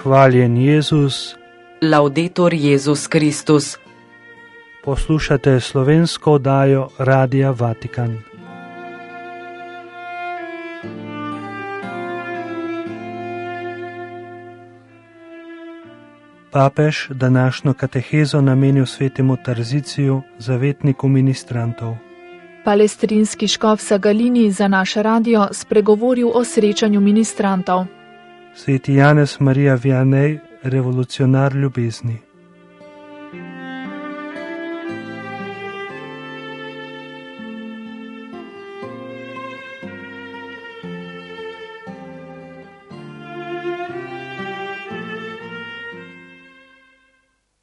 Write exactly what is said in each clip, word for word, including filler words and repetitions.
Hvaljen Jezus. Laudetur Jezus Kristus. Poslušate slovensko oddajo Radia Vatikan. Papež današnjo katehezo namenil svetemu Tarziciju, zavetniku ministrantov. Palestinski škof Sagalini za naš radio spregovoril o srečanju ministrantov. Sveti Janez Marija Vianney, revolucionar ljubezni.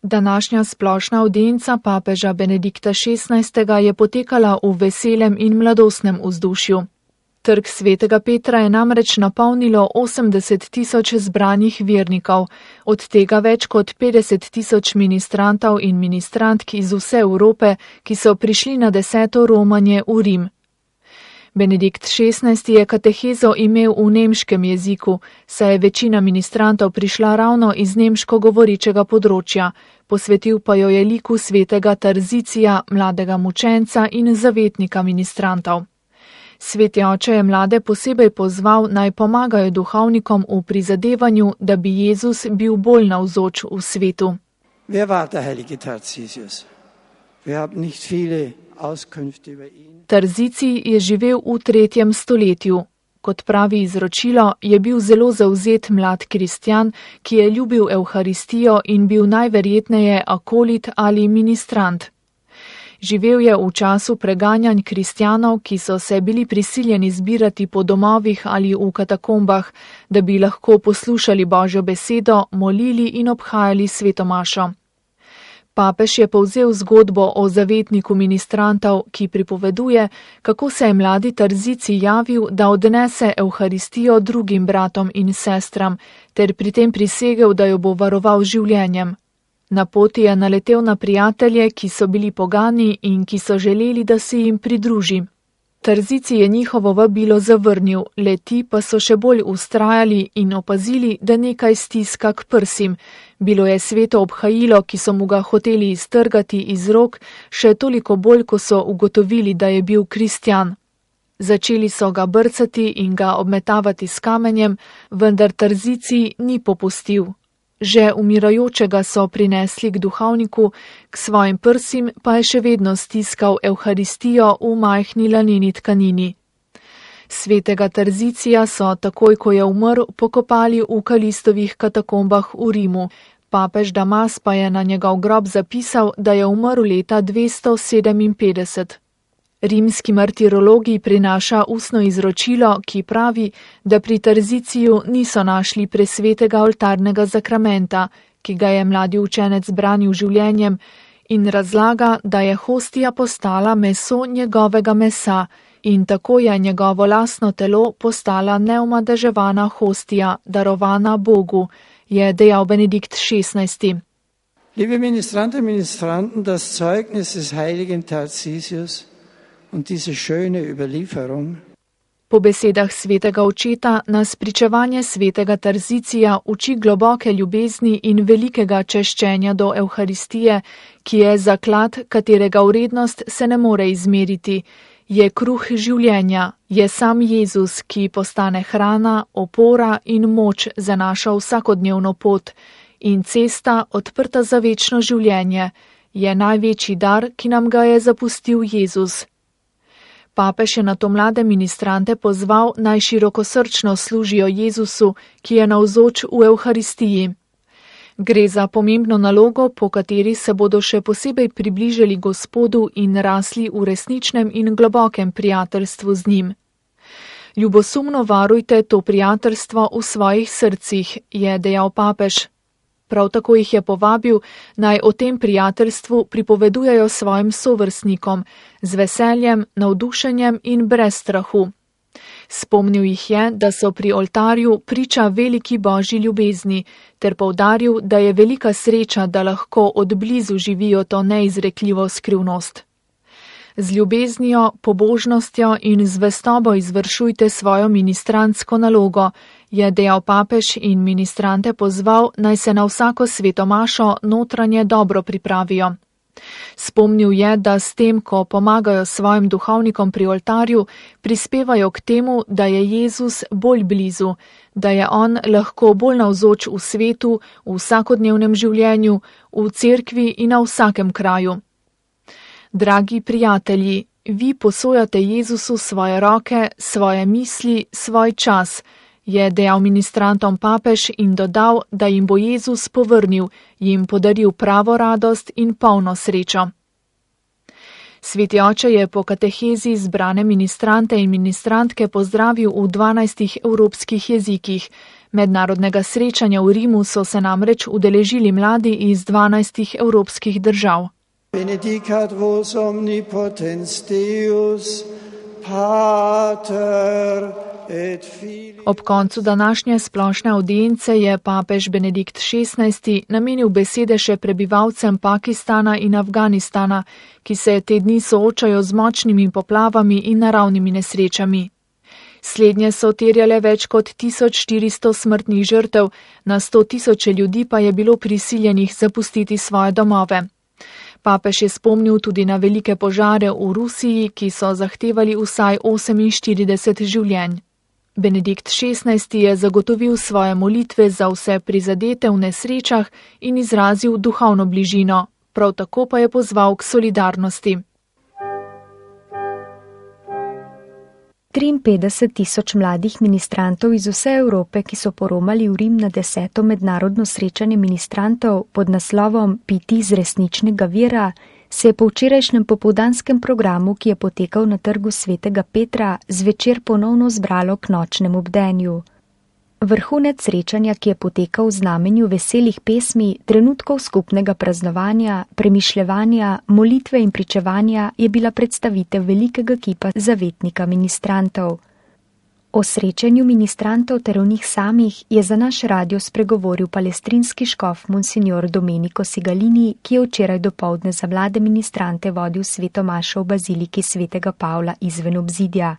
Današnja splošna avdienca papeža Benedikta šestnajstega je potekala v veselem in mladostnem vzdušju. Trg svetega Petra je namreč napolnilo osemdeset tisoč zbranih vernikov, od tega več kot petdeset tisoč ministrantov in ministrantk iz vse Evrope, ki so prišli na deseto romanje v Rim. Benedikt šestnajsti je katehezo imel v nemškem jeziku, saj je večina ministrantov prišla ravno iz nemško govoričega področja, posvetil pa jo je liku svetega Tarzicija, mladega mučenca in zavetnika ministrantov. Sveti oče je mlade posebej pozval, naj pomagajo duhovnikom v prizadevanju, da bi Jezus bil bolj navzoč v svetu. Wer war der heilige Tarzisius? Wir haben nicht viele Auskünfte über ihn. Tarzicij je živel v tretjem stoletju. Kot pravi izročilo, je bil zelo zavzet mlad kristjan, ki je ljubil Evharistijo in bil najverjetneje akolit ali ministrant. Živel je v času preganjanj kristjanov, ki so se bili prisiljeni zbirati po domovih ali v katakombah, da bi lahko poslušali Božjo besedo, molili in obhajali sveto mašo. Papež je povzel zgodbo o zavetniku ministrantov, ki pripoveduje, kako se je mladi Tarzici javil, da odnese Evharistijo drugim bratom in sestram, ter pri tem prisegel, da jo bo varoval življenjem. Na poti je naletel na prijatelje, ki so bili pogani in ki so želeli, da se jim pridruži. Tarzici je njihovo vabilo zavrnil, le ti pa so še bolj ustrajali in opazili, da nekaj stiska k prsim. Bilo je sveto obhajilo, ki so mu ga hoteli iztrgati iz rok, še toliko bolj, ko so ugotovili, da je bil kristjan. Začeli so ga brcati in ga obmetavati s kamenjem, vendar Tarzici ni popustil. Že umirajočega so prinesli k duhovniku, k svojim prsim pa je še vedno stiskal Evharistijo v majhni laneni tkanini. Svetega Tarzicija so, takoj ko je umrl, pokopali v Kalistovih katakombah v Rimu. Papež Damas pa je na njegov grob zapisal, da je umrl leta dvesto sedeminpetdeset. Rimski martirologi prinaša ustno izročilo, ki pravi, da pri Tarziciju niso našli presvetega oltarnega zakramenta, ki ga je mladi učenec branil življenjem, in razlaga, da je hostija postala meso njegovega mesa in tako je njegovo lastno telo postala neomadeževana hostija, darovana Bogu, je dejal Benedikt šestnajsti. Liebe Ministranten und Ministranten, das Zeugnis des heiligen Tarzisius und diese schöne Überlieferung. Po besedah svetega očeta nas pričevanje svetega Tarzicija uči globoke ljubezni in velikega češčenja do Evharistije, ki je zaklad, katerega vrednost se ne more izmeriti. Je kruh življenja, je sam Jezus, ki postane hrana, opora in moč za našo vsakodnevno pot in cesta odprta za večno življenje, je največji dar, ki nam ga je zapustil Jezus. Papež je nato mlade ministrante pozval, naj širokosrčno služijo Jezusu, ki je navzoč v Evharistiji. Gre za pomembno nalogo, po kateri se bodo še posebej približali Gospodu in rasli v resničnem in globokem prijateljstvu z njim. Ljubosumno varujte to prijateljstvo v svojih srcih, je dejal papež. Prav tako jih je povabil, naj o tem prijateljstvu pripovedujejo svojim sovrstnikom, z veseljem, navdušenjem in brez strahu. Spomnil jih je, da so pri oltarju priča veliki Božji ljubezni, ter poudaril, da je velika sreča, da lahko od blizu živijo to neizrekljivo skrivnost. Z ljubeznijo, pobožnostjo in zvestobo izvršujte svojo ministrantsko nalogo, je dejal papež in ministrante pozval, naj se na vsako svetomašo notranje dobro pripravijo. Spomnil je, da s tem, ko pomagajo svojim duhovnikom pri oltarju, prispevajo k temu, da je Jezus bolj blizu, da je on lahko bolj navzoč v svetu, v vsakodnevnem življenju, v cerkvi in na vsakem kraju. Dragi prijatelji, vi posojate Jezusu svoje roke, svoje misli, svoj čas, je dejal ministrantom papež in dodal, da jim bo Jezus povrnil, jim podaril pravo radost in polno srečo. Sveti oče je po katehezi zbrane ministrante in ministrantke pozdravil v dvanajstih evropskih jezikih. Mednarodnega srečanja v Rimu so se namreč udeležili mladi iz dvanajstih evropskih držav. Benedicat vos omnipotens Deus, Pater et Filii. Ob koncu današnje splošne audience je papež Benedikt šestnajsti namenil besede še prebivalcem Pakistana in Afganistana, ki se te dni soočajo z močnimi poplavami in naravnimi nesrečami. Slednje so terjale več kot tisoč štiristo smrtnih žrtev, na sto tisoče ljudi pa je bilo prisiljenih zapustiti svoje domove. Papež je spomnil tudi na velike požare v Rusiji, ki so zahtevali vsaj oseminštirideset življenj. Benedikt šestnajsti je zagotovil svoje molitve za vse prizadete v nesrečah in izrazil duhovno bližino, prav tako pa je pozval k solidarnosti. triinpetdeset tisoč mladih ministrantov iz vse Evrope, ki so poromali v Rim na deseto mednarodno srečanje ministrantov pod naslovom Piti iz resničnega vira, se je po včerajšnjem popoldanskem programu, ki je potekal na trgu svetega Petra, zvečer ponovno zbralo k nočnemu bdenju. Vrhunec srečanja, ki je potekal v znamenju veselih pesmi, trenutkov skupnega praznovanja, premišljevanja, molitve in pričevanja, je bila predstavitev velikega kipa zavetnika ministrantov. O srečanju ministrantov ter o njih samih je za naš radio spregovoril palestrinski škof monsignor Domenico Sigalini, ki je včeraj dopoldne za mlade ministrante vodil svetomašo v baziliki svetega Pavla izven obzidja.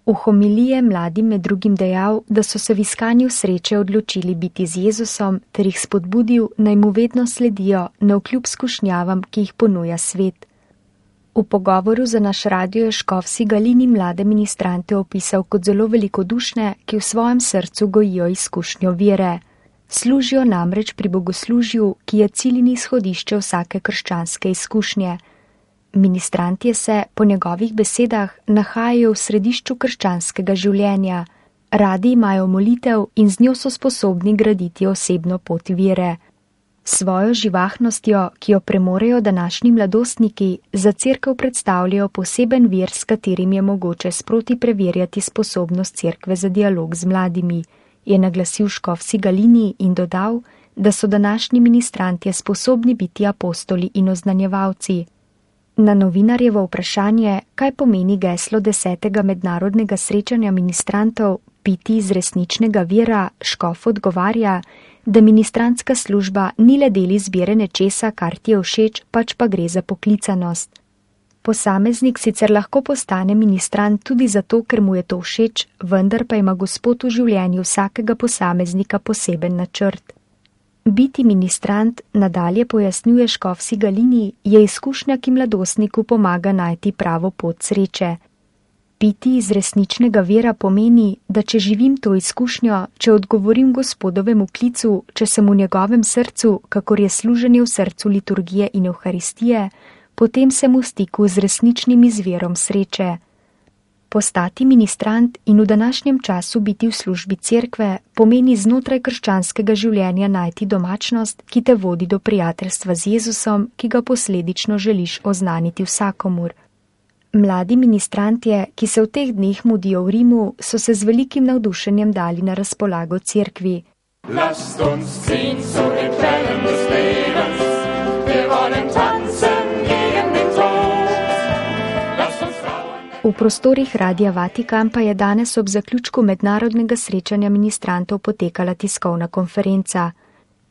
V homiliji je mladim med drugim dejal, da so se v iskanju sreče odločili biti z Jezusom ter jih spodbudil, naj mu vedno sledijo navkljub skušnjavam, ki jih ponuja svet. V pogovoru za naš radio je škof Sigalini mlade ministrante opisal kot zelo velikodušne, ki v svojem srcu gojijo izkušnjo vere. Služijo namreč pri bogoslužju, ki je cilj in izhodišče vsake krščanske izkušnje. Ministrantje se, po njegovih besedah, nahajajo v središču krščanskega življenja. Radi imajo molitev in z njo so sposobni graditi osebno pot vere. Svojo živahnostjo, ki jo premorejo današnji mladostniki, za cerkev predstavljajo poseben vir, s katerim je mogoče sproti preverjati sposobnost cerkve za dialog z mladimi, je naglasil škof Sigalini in dodal, da so današnji ministrantje sposobni biti apostoli in oznanjevalci. Na novinarjevo vprašanje, kaj pomeni geslo desetega mednarodnega srečanja ministrantov Piti iz resničnega vira, škof odgovarja, da ministrantska služba ni le del izbire nečesa, kar ti je všeč, pač pa gre za poklicanost. Posameznik sicer lahko postane ministrant tudi zato, ker mu je to všeč, vendar pa ima Gospod v življenju vsakega posameznika poseben načrt. Biti ministrant, nadalje pojasnjuje škof Sigalini, je izkušnja, ki mladostniku pomaga najti pravo pot sreče. Piti iz resničnega vira pomeni, da če živim to izkušnjo, če odgovorim Gospodovemu klicu, če sem v njegovem srcu, kakor je služenje v srcu liturgije in Evharistije, potem sem v stiku z resničnim izvirom sreče. Postati ministrant in v današnjem času biti v službi cerkve pomeni znotraj krščanskega življenja najti domačnost, ki te vodi do prijateljstva z Jezusom, ki ga posledično želiš oznaniti vsakomur. Mladi ministrantje, ki se v teh dneh mudijo v Rimu, so se z velikim navdušenjem dali na razpolago cerkvi. Lasst uns ziehen zu den Quellen des Lebens, wir wollen tanzen gegen den Tod. Lasst uns Frauen... V prostorih Radia Vatikan pa je danes ob zaključku mednarodnega srečanja ministrantov potekala tiskovna konferenca.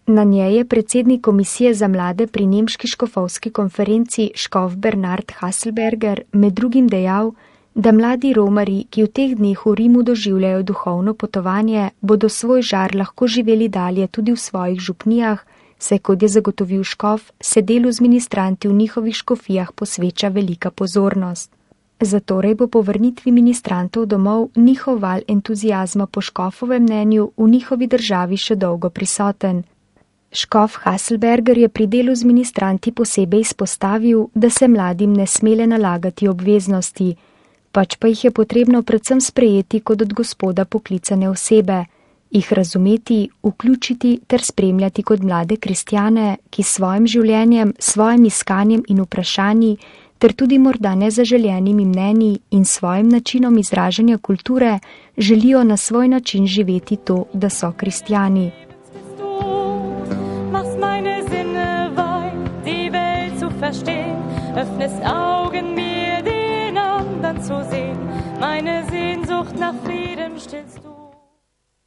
Na njej je predsednik komisije za mlade pri nemški škofovski konferenci škof Bernard Hasselberger med drugim dejal, da mladi romari, ki v teh dneh v Rimu doživljajo duhovno potovanje, bodo svoj žar lahko živeli dalje tudi v svojih župnijah, saj kot je zagotovil škof, se delu z ministranti v njihovih škofijah posveča velika pozornost. Zatorej bo po vrnitvi ministrantov domov njihov val entuzijazma po škofovem mnenju v njihovi državi še dolgo prisoten. Škof Hasselberger je pri delu z ministranti posebej izpostavil, da se mladim ne smele nalagati obveznosti, pač pa jih je potrebno predvsem sprejeti kot od Gospoda poklicane osebe, jih razumeti, vključiti ter spremljati kot mlade kristjane, ki s svojim življenjem, svojim iskanjem in vprašanji ter tudi morda nezaželjenimi mnenji in svojim načinom izražanja kulture želijo na svoj način živeti to, da so kristjani.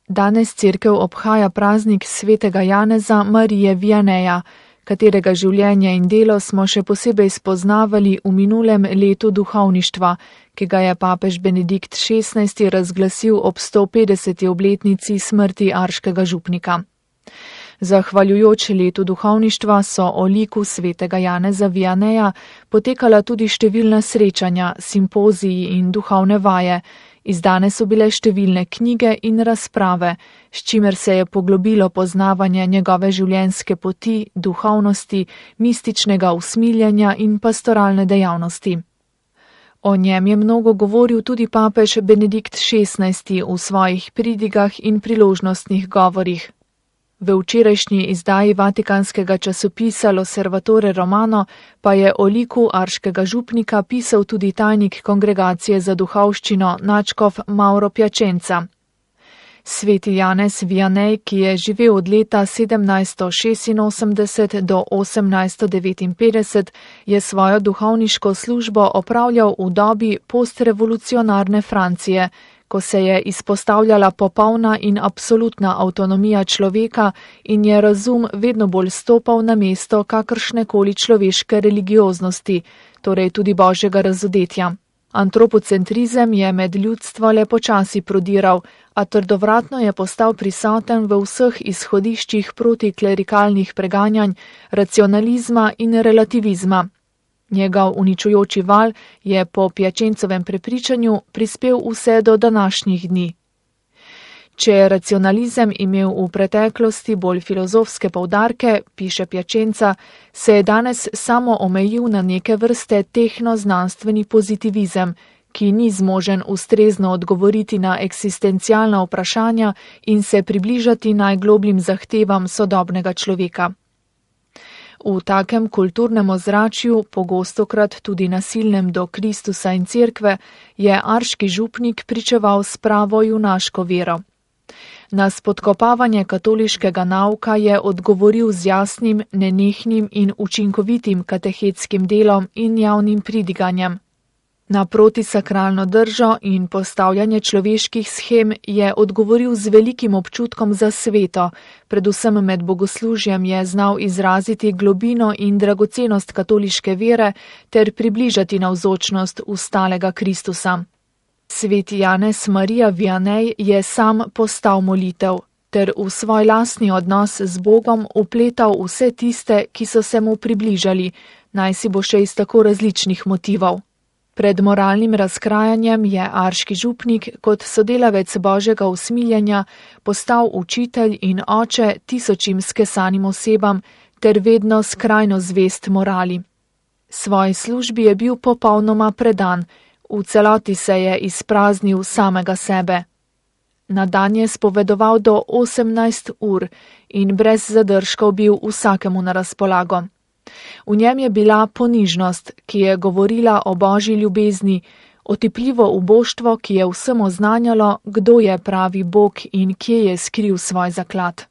Danes cerkev obhaja praznik svetega Janeza Marije Vianeja, katerega življenje in delo smo še posebej spoznavali v minulem letu duhovništva, ki ga je papež Benedikt šestnajsti razglasil ob sto petdeseti obletnici smrti arškega župnika. Zahvaljujoč letu duhovništva so o liku svetega Janeza Vianeja potekala tudi številna srečanja, simpoziji in duhovne vaje. Izdane so bile številne knjige in razprave, s čimer se je poglobilo poznavanje njegove življenjske poti, duhovnosti, mističnega usmiljenja in pastoralne dejavnosti. O njem je mnogo govoril tudi papež Benedikt šestnajsti v svojih pridigah in priložnostnih govorih. V včerajšnji izdaji vatikanskega časopisa L'Osservatore Romano pa je o liku arškega župnika pisal tudi tajnik Kongregacije za duhovščino nadškof Mauro Piacenza. Sveti Janez Vianej, ki je živel od leta sedemnajststo šestinosemdeset do osemnajststo devetinpetdeset, je svojo duhovniško službo opravljal v dobi postrevolucionarne Francije, ko se je izpostavljala popolna in absolutna avtonomija človeka in je razum vedno bolj stopal na mesto kakršnekoli človeške religioznosti, torej tudi božjega razodetja. Antropocentrizem je med ljudstvo le počasi prodiral, a trdovratno je postal prisoten v vseh izhodiščih protiklerikalnih preganjanj, racionalizma in relativizma. Njegov uničujoči val je po Piacencovem prepričanju prispel vse do današnjih dni. Če je racionalizem imel v preteklosti bolj filozofske poudarke, piše Piacenza, se je danes samo omejil na neke vrste tehno-znanstveni pozitivizem, ki ni zmožen ustrezno odgovoriti na eksistencialna vprašanja in se približati najglobljim zahtevam sodobnega človeka. V takem kulturnem ozračju, pogostokrat tudi nasilnem do Kristusa in cerkve, je arški župnik pričeval s pravo junaško vero. Na spodkopavanje katoliškega nauka je odgovoril z jasnim, nenehnim in učinkovitim katehetskim delom in javnim pridiganjem. Na protisakralno držo in postavljanje človeških shem je odgovoril z velikim občutkom za sveto, predvsem med bogoslužjem je znal izraziti globino in dragocenost katoliške vere ter približati navzočnost ustalega Kristusa. Sveti Janez Marija Vianej je sam postal molitev, ter v svoj lastni odnos z Bogom upletal vse tiste, ki so se mu približali, naj si bo še iz tako različnih motivov. Pred moralnim razkrajanjem je arški župnik kot sodelavec božjega usmiljenja postal učitelj in oče tisočim skesanim osebam ter vedno skrajno zvest morali. Svoji službi je bil popolnoma predan, v celoti se je izpraznil samega sebe. Na dan je spovedoval do osemnajst ur in brez zadržkov bil vsakemu na razpolago. V njem je bila ponižnost, ki je govorila o božji ljubezni, otipljivo uboštvo, ki je vsem oznanjalo, kdo je pravi Bog in kje je skril svoj zaklad.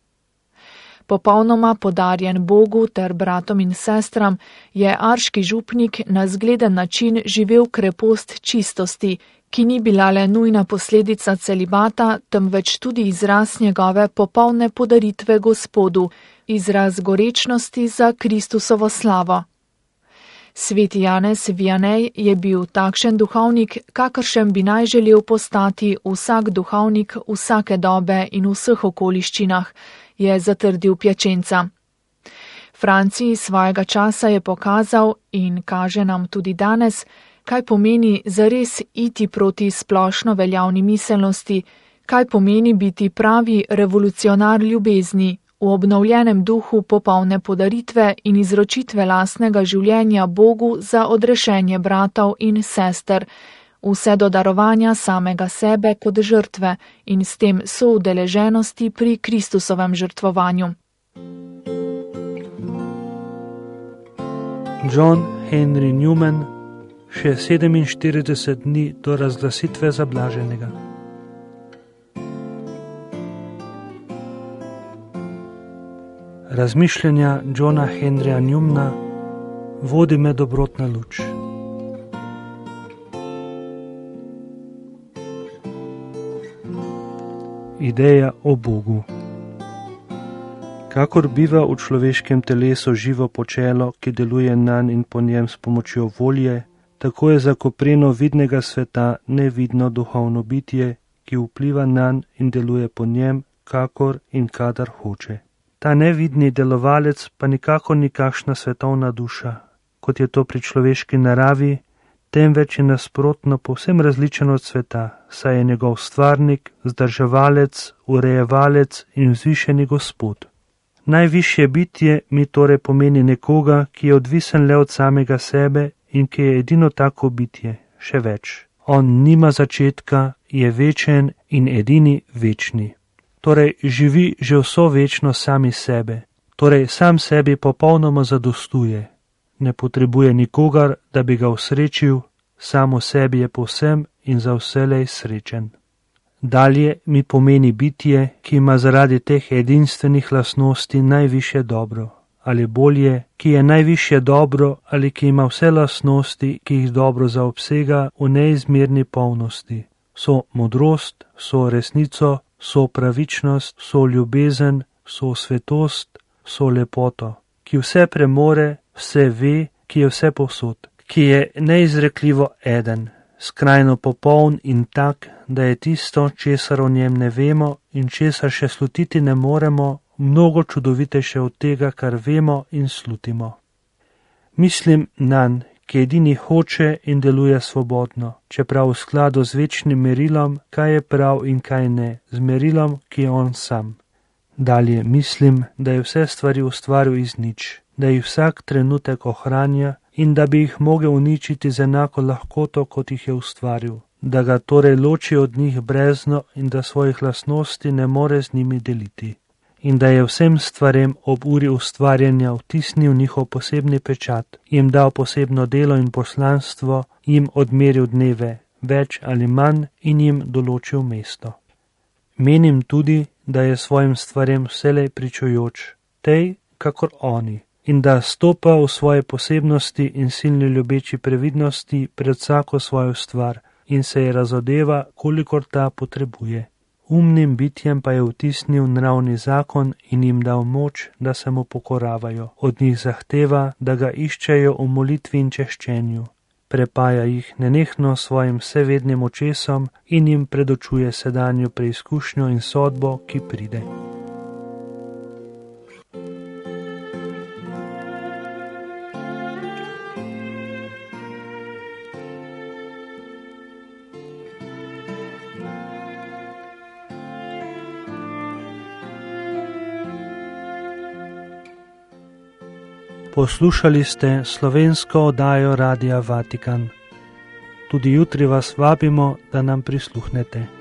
Popolnoma podarjen Bogu ter bratom in sestram je arški župnik na zgleden način živel krepost čistosti, ki ni bila le nujna posledica celibata, temveč tudi izraz njegove popolne podaritve Gospodu, izraz gorečnosti za Kristusovo slavo. Sveti Janez Vianney je bil takšen duhovnik, kakršen bi naj želel postati vsak duhovnik vsake dobe in v vseh okoliščinah, je zatrdil Piacenza. Franciji svojega časa je pokazal in kaže nam tudi danes, kaj pomeni zares iti proti splošno veljavni miselnosti, kaj pomeni biti pravi revolucionar ljubezni, v obnovljenem duhu popolne podaritve in izročitve lastnega življenja Bogu za odrešenje bratov in sester, vse do darovanja samega sebe kot žrtve in s tem soudeleženosti pri Kristusovem žrtvovanju. John Henry Newman, še sedeminštirideset dni do razglasitve za blaženega. Razmišljanja Johna Henryja Newmana vodi me dobrotna luč. Ideja o Bogu. Kakor biva v človeškem telesu živo počelo, ki deluje nanj in po njem s pomočjo volje, tako je za kopreno vidnega sveta nevidno duhovno bitje, ki vpliva nanj in deluje po njem, kakor in kadar hoče. Ta nevidni delovalec pa nikakor ni kakšna svetovna duša, kot je to pri človeški naravi, temveč je nasprotno povsem različen od sveta, saj je njegov stvarnik, vzdrževalec, urejevalec in vzvišeni Gospod. Najvišje bitje mi torej pomeni nekoga, ki je odvisen le od samega sebe in ki je edino tako bitje, še več. On nima začetka, je večen in edini večni. Torej živi že vso večnost sami sebe, torej sam sebi popolnoma zadostuje. Ne potrebuje nikogar, da bi ga usrečil, samo sebi je povsem in za vselej srečen. Dalje mi pomeni bitje, ki ima zaradi teh edinstvenih lastnosti najvišje dobro, ali bolje, ki je najvišje dobro ali ki ima vse lastnosti, ki jih dobro zaobsega v neizmerni polnosti. So modrost, so resnico, so pravičnost, so ljubezen, so svetost, so lepoto, ki vse premore, vse ve, ki je vse povsod, ki je neizrekljivo eden, skrajno popoln in tak, da je tisto, česar o njem ne vemo in česar še slutiti ne moremo, mnogo čudovitejše od tega, kar vemo in slutimo. Mislim nanj, ki edini hoče in deluje svobodno, čeprav v skladu z večnim merilom, kaj je prav in kaj ne, z merilom, ki je on sam. Dalje mislim, da je vse stvari ustvaril iz nič, da jih vsak trenutek ohranja in da bi jih mogel uničiti z enako lahkoto, kot jih je ustvaril, da ga torej loči od njih brezno in da svojih lastnosti ne more z njimi deliti. In da je vsem stvarem ob uri ustvarjanja vtisnil njihov posebni pečat, jim dal posebno delo in poslanstvo, jim odmeril dneve, več ali manj in jim določil mesto. Menim tudi, da je svojim stvarem vselej pričujoč, tej, kakor oni, in da stopa v svoje posebnosti in silni ljubeči previdnosti pred vsako svojo stvar in se je razodeva, kolikor ta potrebuje. Umnim bitjem pa je vtisnil nravni zakon in jim dal moč, da se mu pokoravajo. Od njih zahteva, da ga iščejo v molitvi in češčenju. Prepaja jih nenehno svojim vsevednim očesom in jim predočuje sedanjo preizkušnjo in sodbo, ki pride. Poslušali ste slovensko oddajo Radia Vatikan. Tudi jutri vas vabimo, da nam prisluhnete.